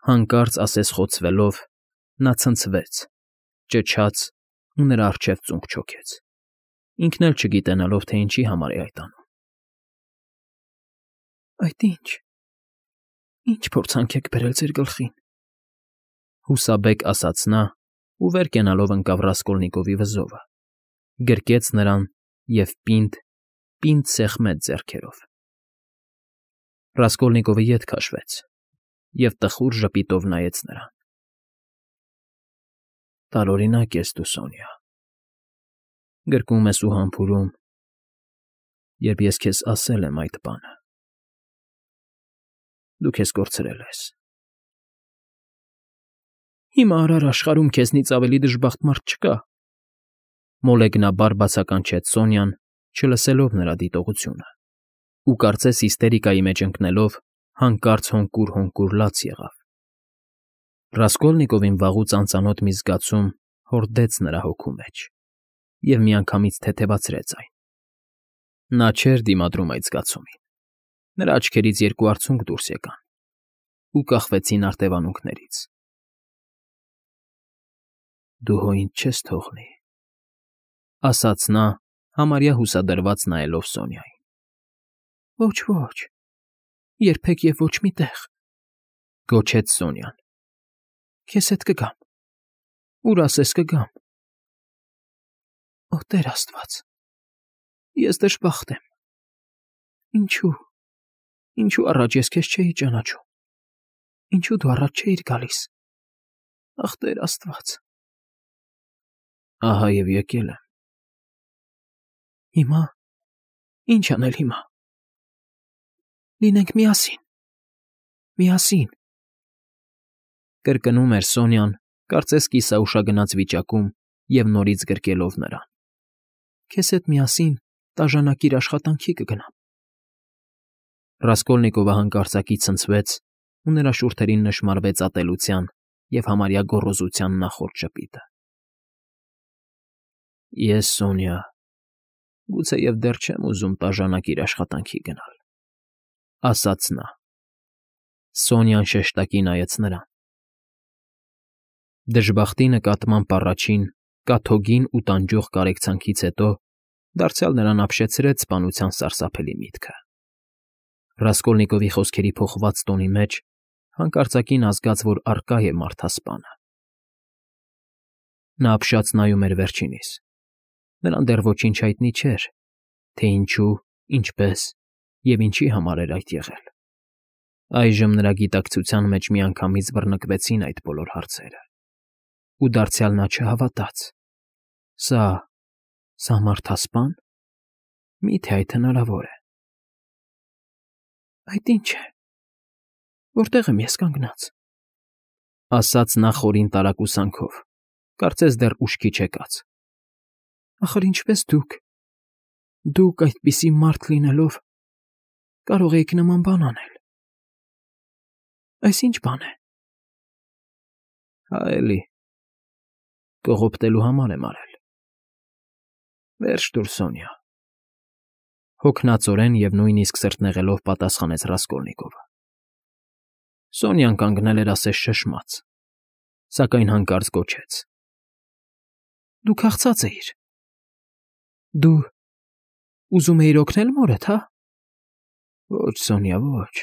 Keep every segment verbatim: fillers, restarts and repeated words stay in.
Հանկարծ ասես խոցվելով, նա ցնցվեց, ճչաց ու նրա առջև ծունկ չոքեց, ինքն էլ չգիտենալով, թե ինչի համար է այդ անում։ ֊ Այդ ի՞նչ, ի՞նչ փորձանք եք բերել ձեր գլխին,֊ հուսաբեկ ասաց նա ու վեր կենալով ընկավ Ռասկոլնիկովի վզովը, գրկեց նրան և պինդ, պինդ սեղմեց ձեռքերով։ Ռասկոլնիկովը ետ քաշվեց և տխուր ժպիտով նայեց նրան։ ֊ Տարօրինակ ես դու, Սոնյա, գրկում ես ու համբուրում, երբ ես քեզ ասել եմ այդ բանը, դու քեզ կորցրել ես։ Հիմա արար աշխարհում քեզնից ավելի դժբախտ մարդ չկա,֊ մոլեգնաբար բացականչեց Սոնյան, չլսելով նրա դիտողությունը, ու կարծես հիստերիկայի մեջ ընկնելով, հանկարծ հոնկուր֊հոնկուր լաց եղավ։ Ռասկոլնիկովին վաղուց անծանոթ մի զգացում հորդեց նրա հոգու մեջ և միանգամից թեթևացրեց այն։ Նա չէր դիմադրում այդ զգացումին, նրա աչքերից երկու արցունք դուրս եկան ու կախվեցին արտևանունքներից։ ֊ Դու հո ինձ չես թողնի,֊ ասաց նա, համարյա հուսադրված նայելով Սոնյային։ ֊ Ոչ, ոչ, երբեք և ոչ մի տեղ,֊ գոչեց Սոնյան։ ֊ Քեզ հետ կգամ, ուր ասես կգամ։ Օ, Տեր աստված, ես դժբախտ եմ։ Ինչո՞ւ, ինչո՞ւ առաջ ես քեզ չէի ճանաչում, ինչո՞ւ դու առաջ չէիր գալիս, ախ, Տեր աստված… Ահա և եկել եմ։ Հիմա… ի՞նչ անել հիմա։ Լինենք միասին, միասին…֊ կրկնում էր Սոնյան, կարծես կիսաուշագնաց վիճակում և նորից գրկելով նրան։ ֊ Քեզ հետ միասին տաժանակիր աշխատանքի կգնամ։ Ռասկոլնիկովը հանկարծակի ցնցվեց, ու նրա շուրթերին նշմարվեց ատելության և համարյա գոռոզության նախորդ ժպիտը։ ֊ Ես, Սոնյա, գուցեև դեռ չեմ ուզում տաժանակիր աշխատանքի գնալ,֊ ասաց նա։ Սոնյան շեշտակի նայեց նրան։ Դժբախտի նկատմամբ առաջին, կաթոգին ու տանջող կարեկցանքից հետո դարձյալ նրան ապշեցրեց սպանության սարսափելի միտքը։ Ռասկոլնիկովի խոսքերի փոխված տոնի մեջ հանկարծակի նա զգաց, որ առկա է մարդասպանը։ Նա ապշած նայում էր վերջինիս։ Նրան դեռ ոչինչ հայտնի չէր, թե ինչու, ինչպես և ինչի համար էր այդ եղել։ Այժմ նրա գիտակցության մեջ միանգամից բռնկվեցին այդ բոլոր հարցերը, ու դարձյալ նա չհավատաց. սա… սա մարդասպա՞ն… Մի՞թե այդ հնարավոր է։ Այդ ի՞նչ է… որտե՞ղ եմ ես կանգնած,֊ ասաց նա խորին տարակուսանքով, կարծես դեռ ուշքի չեկած։ Ախր ինչպես դուք… դուք, այդպիսի մարդ լինելով, կարող էիք նման բան անել… Այս ի՞նչ բան է։ Հա, էլի… կողոպտելու համար եմ արել։ Վերջ տուր, Սոնյա,֊ հոգնածորեն և նույնիսկ սրտնեղելով պատասխանեց Ռասկոլնիկովը։ Սոնյան կանգնել էր ասես շշմած, սակայն հանկարծ գոչեց. ֊ Դու քաղցած էիր… Դու… ուզում էիր օգնել մորդ, հա… Ոչ, Սոնյա, ոչ,֊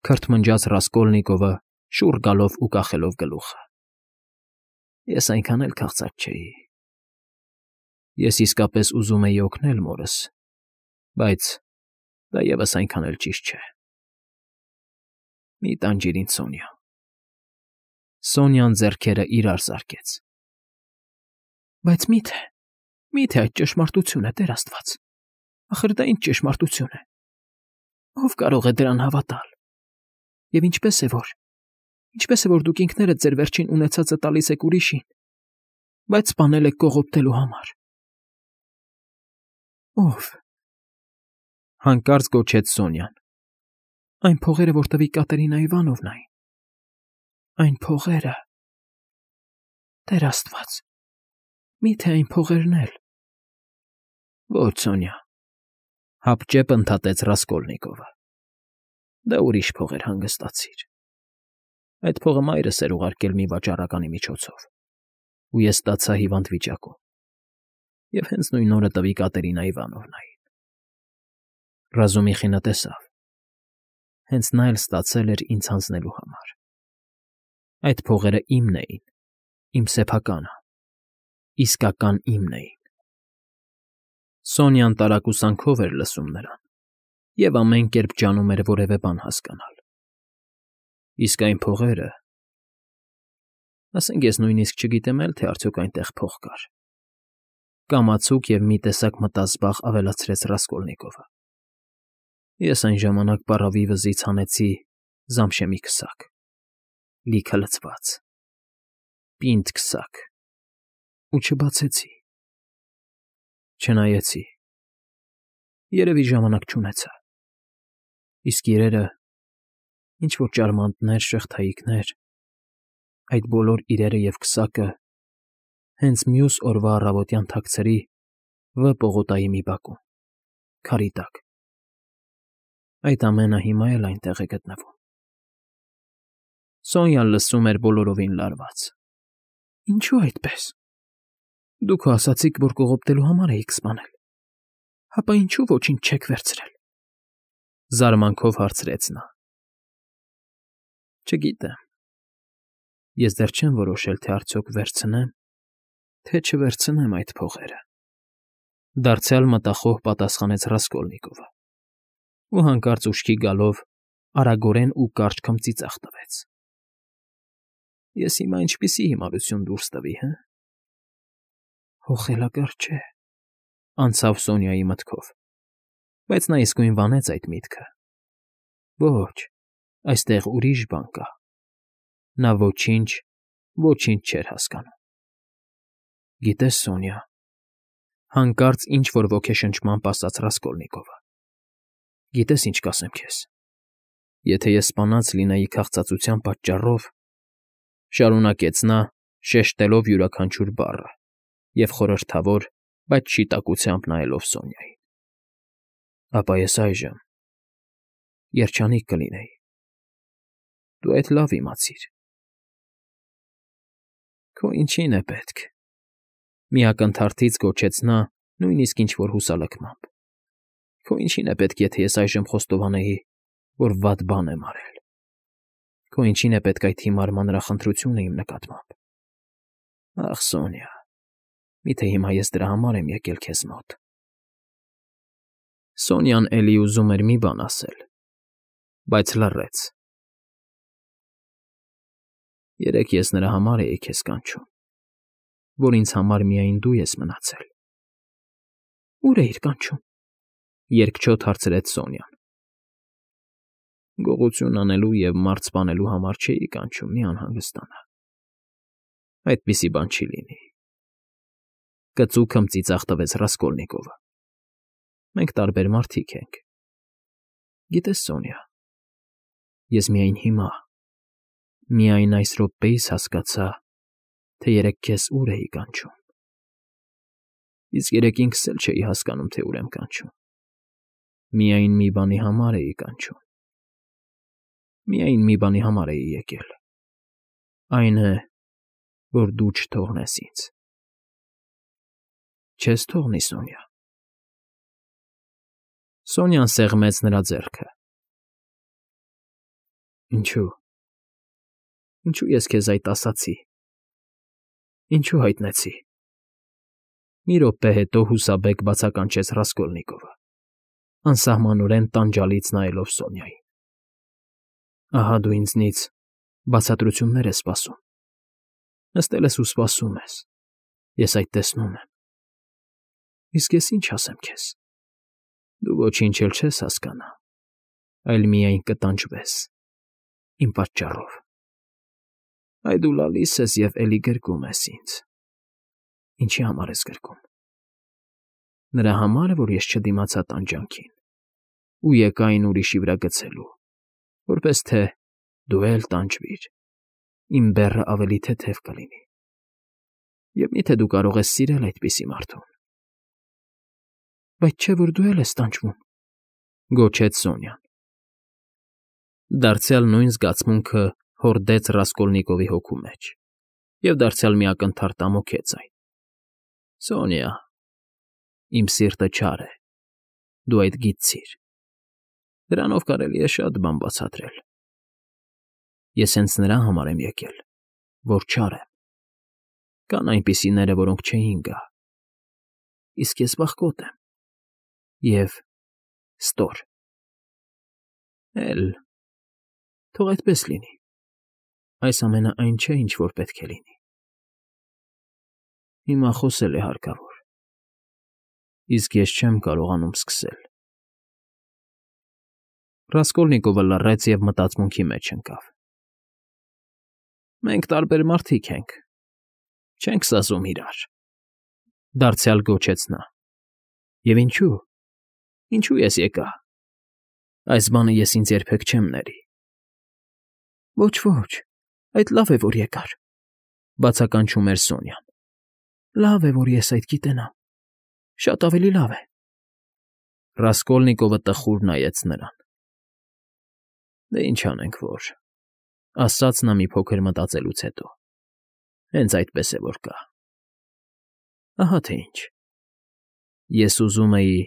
քրթմնջաց Ռասկոլնիկովը, շուռ գալով ու կախելով գլուխը։ Ես այնքան էլ քաղցած չէի… Ես իսկապես ուզում էի օգնել մորս, բայց դա ևս այնքան էլ ճիշտ չէ… Մի տանջիր ինձ, Սոնյա… Սոնյան ձեռքերը իրար զարկեց։ Բայց մի՞թե… մի՞թե այդ ճշմարտություն է, Տեր աստված… Ախր դա ի՞նչ ճշմարտություն է… Ո՞վ կարող է դրան հավատալ… Եվ ինչպե՞ս է որ… ինչպե՞ս է որ դուք ինքներդ ձեր վերջին ունեցածը տալիս եք ուրիշին, բայց սպանել եք կողոպտելու համար… Ո՞վ… հանկարծ գոչեց Սոնյան։ Այն փողերը, որ տվի Կատերինա Իվանովնային… Այն փողերը… Տեր աստված… Մի՞թե այն փողերն էլ… Ոչ, Սոնյա,֊ հապճեպ ընդհատեց Ռասկոլնիկովը։ Դա ուրիշ փողեր, հանգստացիր… Այդ փողը մայրս էր ուղարկել մի վաճառականի միջոցով, ու ես ստացա հիվանդ վիճակում, և հենց նույն օրը տվի Կատերինա Իվանովնային։ Ռազումիխինը տեսավ. հենց նա էլ ստացել էր ինձ հանձնելու համար։ Այդ փողերը իմն էին, իմ սեփականը, իսկական իմն էին։ Սոնյան տարակուսանքով էր լսում նրան և ամեն կերպ ջանում էր որևէ բան հասկանալ։ Իսկ այն փողերը… Ասենք ես նույնիսկ չգիտեմ էլ, թե արդյոք այնտեղ փող կար, կամացուկ և մի տեսակ մտազբաղ ավելացրեց Ռասկոլնիկովը։ Ես այն ժամանակ պառավի վզից հանեցի Զամշեմի քսակ, լիքը լցված, պինդ քսակ, ու չբացեցի, չնայեցի, երևի ժամանակ չունեցա, իսկ իրերը, ինչ-որ ճարմանտներ, շղթայիկներ, այդ բոլոր իրերը և քսակը հենց մյուս օրվա առավոտյան թաքցրի Վ պողոտայի մի բակում, քարի տակ։ Այդ ամենը հիմա էլ այնտեղ է գտնվում։ Սոնյան լսում էր բոլորովին լարված։ Ինչո՞ւ այդպես։ Դուք հո ասացիք, որ կողոպտելու համար էիք սպանել, հապա ինչու ոչինչ չեք վերցրել։ Զարմանքով հարցրեց նա։ Չգիտեմ։ Ես դեռ չեմ որոշել, թե արդյոք վերցնեմ, թե չվերցնեմ այդ փողերը, դարձյալ մտախոհ պատասխանեց Ռասկոլնիկովը, ու հանկարծ ուշքի գալով արագորեն ու կարճ քմծիծաղ տվեց։ Ես հիմա ինչպիսի հիմարություն դուրս տվի, հը։ Հո խելագար չէ, անցավ Սոնյայի մտքով, բայց նա իսկույն վանեց այդ միտքը։ Ոչ, այստեղ ուրիշ բան կա։ Նա ոչինչ, ոչինչ չէր հասկանում։ Գիտես, Սոնյա, հանկարծ ինչ֊որ ոգեշնչմամբ ասաց Ռասկոլնիկովը։ Գիտես, ինչ կասեմ քեզ։ Եթե ես սպանած լինեի քաղցածության պատճառով, շարունակեց նա, շեշտելով յուրաքանչյուր բառը և խորհրդավոր, բայց շիտակությամբ նայելով Սոնյային, ապա ես այժմ երջանիկ կլինեի։ Դու այդ լավ իմացիր։ Քո ինչին է պետք, մի ակնթարթից գոչեց նա, նույնիսկ ինչ֊որ հուսալքմամբ։ Քո ինչին է պետք, եթե ես այժմ խոստովանեի, որ վատ բան եմ արել։ Քո ինչին է պետք այդ հիմար մանրախնդրությունը իմ նկատմամբ։ Ախ, Սոնյա, միթե հիմա ես դրա համար եմ եկել քեզ մոտ։ Սոնյան էլի ուզում էր մի բան ասել, բայց լռեց։ Երեկ ես նրա համար էի քեզ կանչում, որ ինձ համար միայն դու ես մնացել։ Ո՞ւր էիր կանչում, երկչոտ հարցրեց Սոնյան։ Գողություն անելու և մարդ սպանելու համար չէի կանչում, մի անհանգստանա։ Այդպիսի բան չի լինի։ Կծու քմծիծաղ տվեց Ռասկոլնիկովը։ Մենք տարբեր մարդիկ ենք։ Գիտես, Սոնյա, ես միայն հիմա, միայն այս րոպեիս հասկացա, թե երեկ քեզ ուր էի կանչում։ Իսկ երեկ ինքս էլ չէի հասկանում, թե ուր եմ կանչում։ Միայն մի բանի համար էի կանչում։ Միայն մի բանի համար էի եկել։ Այն է, որ դու չթողնես ինձ։ Չես թողնի, Սոնյա։ Սոնյան սեղմեց նրա ձեռքը։ Ինչու։ Ինչու ես քեզ այդ ասացի։ Ինչու հայտնեցի։ Մի րոպե հետո հուսաբեկ բացականչեց Ռասկոլնիկովը, անսահմանորեն տանջալից նայելով Սոնյային։ Ահա դու ինձնից բացատրություններ ես սպասում։ Նստել ես ու սպասում ես, ես այդ տեսնում եմ։ Իսկ ես ինչ ասեմ քեզ։ Դու ոչինչ էլ չես հասկանա, այլ միայն կտանջվես, իմ պատճառով։ Այ դու լալիս ես և էլի գրկում ես ինձ։ Ինչի համար ես գրկում։ Նրա համար, որ ես չդիմացա տանջանքին ու եկա այն ուրիշի վրա գցելու, որպես թե դու էլ տանջվիր, իմ բեռը ավելի թեթև կլինի։ Եվ միթե դու կարող ես սիրել այդպիսի մարդուն։ Բայց չէ՞ որ դու էլ ես տանջվում, գոչեց Սոնյան։ Դարձյալ նույն զգացմունքը հորդեց Ռասկոլնիկովի հոգու մեջ և դարձյալ մի ակնթարթ ամոթեց այն. «Սոնյա, իմ սիրտը չար է, դու այդ գիտցիր, դրանով կարելի է շատ բան բացատրել։ Ես հենց նրա համար եմ եկել, որ չար եմ, կան այնպիսիները, որոնք չէին գա, իսկ ես վախկոտ եմ և ստոր։ Էլ, թող այդպես լինի, այս ամենը այն չէ, ինչ որ պետք է լինի։ Հիմա խոսել է հարկավոր, իսկ ես չեմ կարողանում սկսել»։ Ռասկոլնիկովը լռեց և մտածմունքի մեջ ընկավ։ «Մենք տարբեր մարդիկ ենք, չենք սազում իրար,֊ դարձյալ գոչեց նա,֊ և ինչո՞ւ, ինչո՞ւ ես եկա, այս բանը ես ինձ երբեք չեմ ների»։ «Ոչ, ոչ, այդ լավ է, որ եկար,֊ բացականչում էր Սոնյան,֊ լավ է, որ ես այդ գիտենամ, շատ ավելի լավ է»։ Ռասկոլնիկովը տխուր նայեց նրան։ «Դե ինչ անենք, որ…֊ ասաց նա մի փոքր մտածելուց հետո,֊ հենց այդպես է, որ կա։ Ահա թե ինչ. ես ուզում էի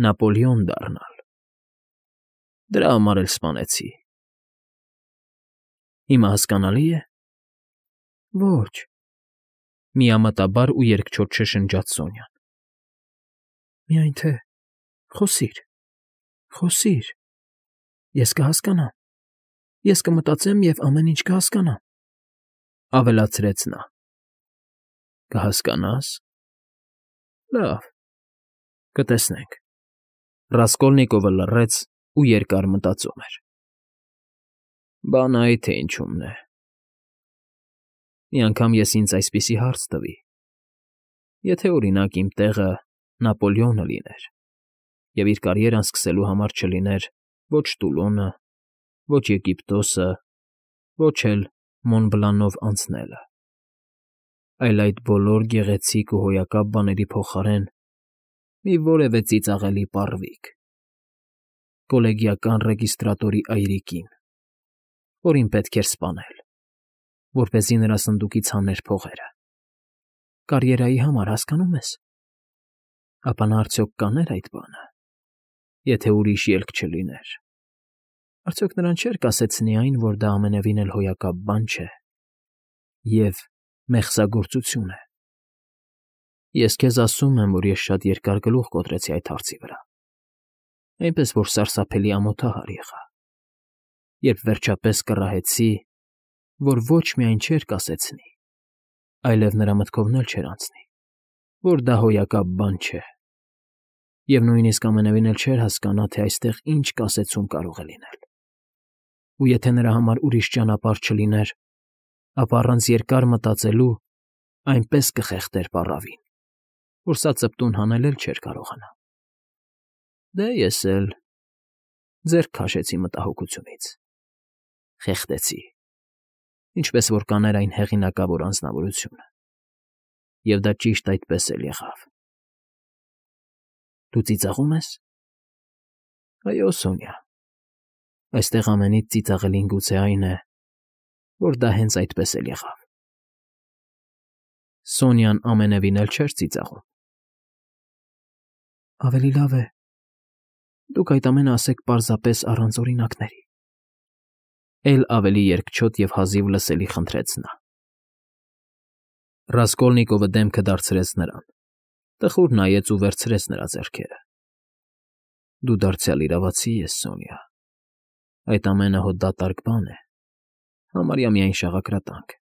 Նապոլեոն դառնալ, դրա համար էլ սպանեցի։ Հիմա հասկանալի՞ է»։ «Ոչ,֊ միամտաբար ու երկչոտ շշնջաց Սոնյան,֊ միայն թե խոսիր, խոսիր, ես կհասկանամ, ես կմտածեմ և ամեն ինչ կհասկանամ,֊ ավելացրեց նա։ Կհասկանա՞ս։ Լավ, կտեսնենք»։ Ռասկոլնիկովը լռեց ու երկար մտածում էր։ «Բանը այ թե ինչումն է. մի անգամ ես ինձ այսպիսի հարց տվի. եթե, օրինակ, իմ տեղը Նապոլեոնը լիներ և իր կարիերան սկսելու համար չլիներ ոչ Տուլոնը, ոչ Եգիպտոսը, ոչ էլ Մոնբլանով անցնելը, այլ այդ բոլոր գեղեցիկ ու հոյակապ բաների փոխարեն մի որևէ ծիծաղելի պառվիկ, կոլեգիական ռեգիստրատորի այրիկին, որին պետք էր սպանել, որպեսզի նրա սնդուկից հաներ փողերը, կարիերայի համար, հասկանո՞ւմ ես, ապա նա արդյոք կանե՞ր այդ բանը, եթե ուրիշ ելք չլիներ։ Արդյոք նրան չէր կասեցնի այն, որ դա ամենևին էլ հոյակապ բան չէ և մեղսագործություն է։ Ես քեզ ասում եմ, որ ես շատ երկար գլուխ կոտրեցի այդ հարցի վրա, այնպես որ սարսափելի ամոթահար եղա, երբ վերջապես կռահեցի, որ ոչ միայն չէր կասեցնի, այլև նրա մտքովն էլ չէր անցնի, որ դա հոյակապ բան չէ, և նույնիսկ ամենևին էլ չէր հասկանա, թե այստեղ ինչ կասեցում կարող է լինել։ Ու եթե նրա համար ուրիշ ճանապարհ չլիներ, ապա առանց երկար մտածելու այնպես կխեղդեր պառավին, որ սա ծպտուն հանել էլ չէր կարողանա։ Դե ես էլ ձեռք քաշեցի մտահոգությունից, խեղդեցի, ինչպես որ կաներ այն հեղինակավոր անձնավորությունը, և դա ճիշտ այդպես էլ եղավ։ Դու ծիծաղո՞ւմ ես։ Այո, Սոնյա, այստեղ ամենից ծիծաղելին գուցե այն է, որ դա հենց այդպես էլ եղավ։ Սոնյան ամենևին էլ չէր ծիծաղում։ Ավելի լավ է, դուք այդ ամենը ասեք պարզապես առանց օրինակների,֊ էլ ավելի երկչոտ և հազիվ լսելի խնդրեց նա։ Ռասկոլնիկովը դեմքը դարձրեց նրան, տխուր նայեց ու վերցրեց նրա ձեռքերը։ Դու դարձյալ իրավացի ես, Սոնյա, այդ ամենը հո դատարկ բան է, համարյա միայն շաղակրատանք,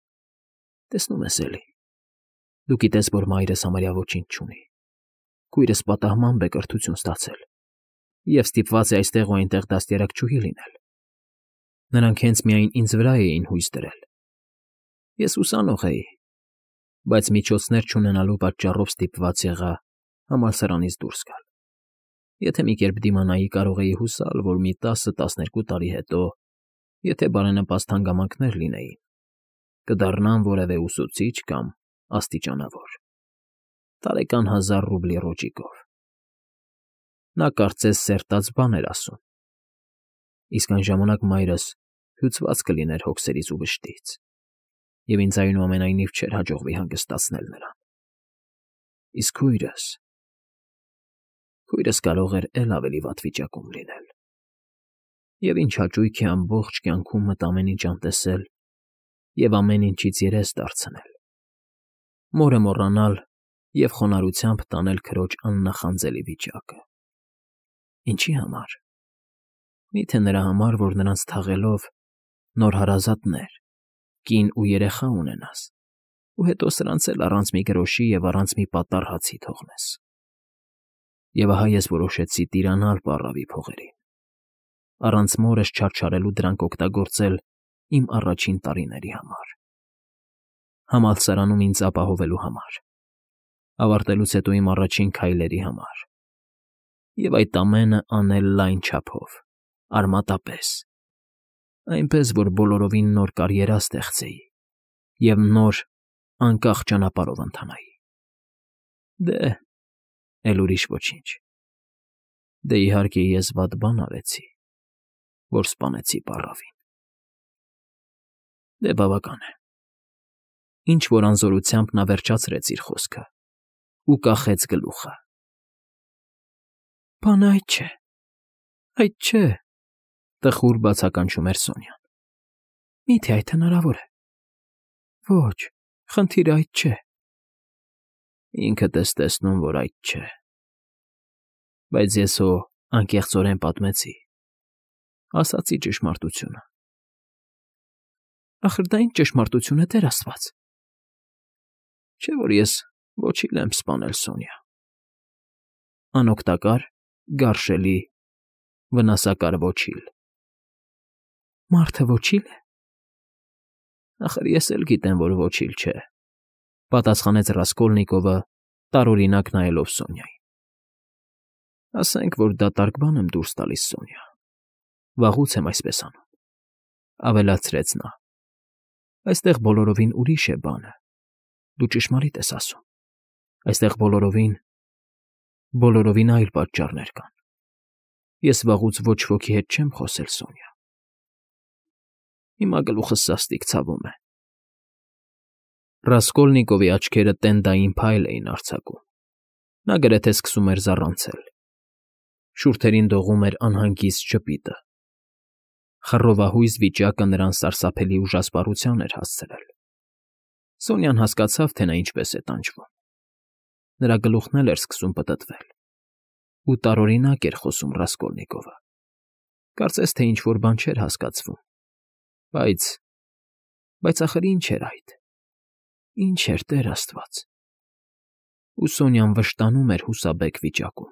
տեսնում ես էլի, դու գիտես, որ մայրս համարյա ոչինչ չունի, քույրս պատահմամբ է կրթություն ստացել և ստիպված է այստեղ ու այնտեղ դաստիարակչուհի լինել։ Նրանք հենց միայն ինձ վրա էին հույս դրել։ Ես ուսանող էի, բայց միջոցներ չունենալու պատճառով ստիպված եղա համալսարանից դուրս գալ։ Եթե մի կերպ դիմանայի, կարող էի հուսալ, որ մի տասը֊տասներկու տարի հետո, եթե բարենպաստ հանգամանքներ լինեին, կդառնամ որևէ ուսուցիչ կամ աստիճանավոր, տարեկան հազար ռուբլի ռոճիկով։ Նա կարծես սերտած բան էր ասում, իսկ այն ժամանակ մայրս հյուծված կլիներ հոգսերից ու վշտից, և ինձ այնուամենայնիվ չէր հաջողվի հանգստացնել նրան։ Իսկ քույրս… քույրս կարող էր էլ ավելի վատ վիճակում լինել, և ինչ հաճույք է ամբողջ կյանքում մտ ամեն ինչ անտեսել և ամեն ինչից երես դարձնել, մորը մոռանալ և խոնարհությամբ տանել քրոջ աննախանձելի վիճակը… Ինչի համար… Մի՞թե նրա համար, որ նրանց թաղելով նոր հարազատներ, կին ու երեխա ունենաս, ու հետո սրանց էլ առանց մի գրոշի և առանց մի պատառ հացի թողնես… Եվ ահա ես որոշեցի տիրանալ պառավի փողերին, առանց մորս չարչարելու դրանք օգտագործել իմ առաջին տարիների համար, համալսարանում ինձ ապահովելու համար, ավարտելուց հետո իմ առաջին քայլերի համար, և այդ ամենը անել լայն չափով, արմատապես, այնպես, որ բոլորովին նոր կարիերա ստեղծեի և նոր, անկախ ճանապարհով ընթանայի… Դե, էլ ուրիշ ոչինչ… Դե, իհարկե, ես վատ բան արեցի, որ սպանեցի պառավին… Դե, բավական է… Ինչ֊որ անզորությամբ նա վերջացրեց իր խոսքը ու կախեց գլուխը։ ֊ Բանը այդ չէ, այդ չէ,֊ տխուր բացականչում էր Սոնյան։ ֊ Մի՞թե այդ հնարավոր է… Ոչ, խնդիրը այդ չէ… Ինքդ ես տեսնում, որ այդ չէ… Բայց ես հո անկեղծորեն պատմեցի, ասացի ճշմարտությունը… Ախր դա ի՞նչ ճշմարտություն է, Տեր աստված… Չէ՞ որ ես ոչիլ եմ սպանել, Սոնյա… Անօգտակար, գարշելի, վնասակար ոչիլ… Մարդը ոչի՞լ է… Ախր ես էլ գիտեմ, որ ոչիլ չէ,֊ պատասխանեց Ռասկոլնիկովը, տարօրինակ նայելով Սոնյային։ ֊ Ասենք, որ դատարկ բան եմ դուրս տալիս, Սոնյա, վաղուց եմ այսպես անում,֊ ավելացրեց նա,֊ այստեղ բոլորովին ուրիշ է բանը, դու ճշմարիտ ես ասում, այստեղ բոլորովին, բոլորովին այլ պատճառներ կան… Ես վաղուց ոչ ոքի հետ չեմ խոսել, Սոնյա… Հիմա գլուխս սաստիկ ցավում է… Ռասկոլնիկովի աչքերը տենդային փայլ էին արձակում, նա գրեթե սկսում էր զառանցել, շուրթերին դողում էր անհանգիստ ժպիտը… Խռովահույս վիճակը նրան սարսափելի ուժասպառության էր հասցրել… Սոնյան հասկացավ, թե նա ինչպես է տանջվում… Նրա գլուխն էլ էր սկսում պտտվել, ու տարօրինակ էր խոսում Ռասկոլնիկովը… Կարծես թե ինչ֊որ բան չէր հասկացվում… Բայց… բայց ախր ի՞նչ էր այդ… Ի՞նչ էր, Տեր աստված… Ու Սոնյան վշտանում էր հուսաբեկ վիճակում…